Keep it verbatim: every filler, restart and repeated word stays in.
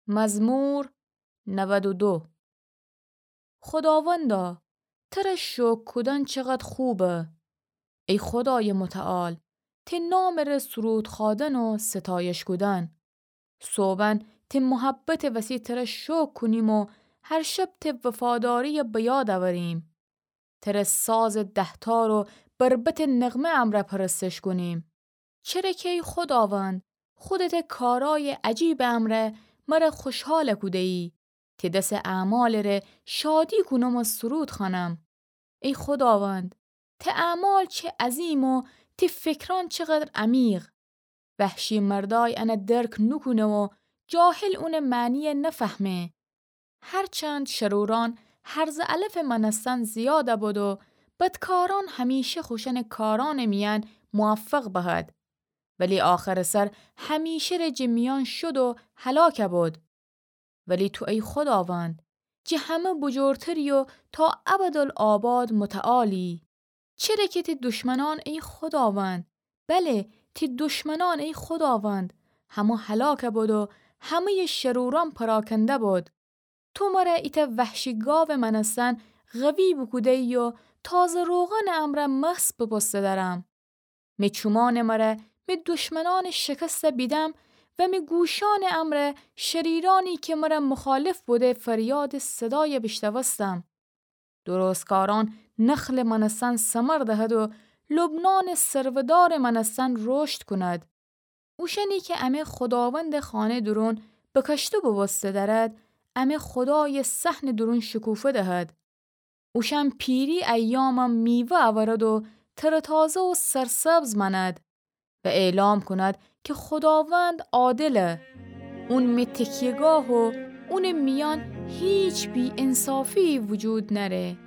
مزمور نود و دو. خوداوندا، تره شوکر کودن چقد خوبه. ای خودای متعال، تی نامٚ ره سرود خوأدن و ستایش کودن. صوبأن تی محبتٚ وسی تره شوکر کونیم و هر شب تی وفاداری‌یه به یاد اوریم. تره سازٚ دهتار و بربطٚ نغمه امرأ پرستش کونیم. چره کی ای خوداوند، خودته کارأیٚ عجیبٚ امرأ مره خوشحال کوده‌یی. تی دسٚ اعمالٚ ره شادی کونم و سرود خوأنم. ای خوداوند، تی اعمال چه عظیم و تی فکرأن چقدر عمیق. وحشی‌مردأی انه درک نوکونه و جاهل اونٚ معنی‌یه نفهمه. هرچند شرورأن هرزٚ علفٚ مأنستن زیاد بد و بدکارأن همیشه خوشأنٚ کارأنٚ میأن موفق بهد، ولی آخرٚ سر همیشه ره جٚه میأن شد و هلاک بد. ولی تو ای خوداوند، جٚه همه بجورتری و تا ابدالآباد متعالی. چره کی تی دشمنأن ای خوداوند، بله، تی دشمنأن ای خوداوند، همه هلاک بد و همه‌یٚ شرورأن پراکنده بد. تو مره ایتأ وحشی گاوٚ مأنستن قوی بوکوده‌یی و تازه روغنٚ امرأ مست بوبوسته دأرم. می چومأنٚ مره می دشمنأنٚ شکسته بیدم و می گوشأنٚ امرأ شریرأنی کی مره مخالف بوده فریادٚ صدای بیشنوستم. درستکارأن نخلٚ مأنستن ثمر دهد و لبنانٚ سرودارٚ مأنستن رشد کند. اوشأنی کی امه خوداوندٚ خانه دورون بکشته بوبوسته دأرد، امه خودایٚ صحنٚ دورون شکوفه دهد. اوشأن پیری ایامم میوه اورد و ترتازه و سرسبز مأند و اعلام کند کی خوداوند عادله. اون می تکیه‌گاه و اونٚ میأن هیچ بی‌انصافی‌یی وجود نأره.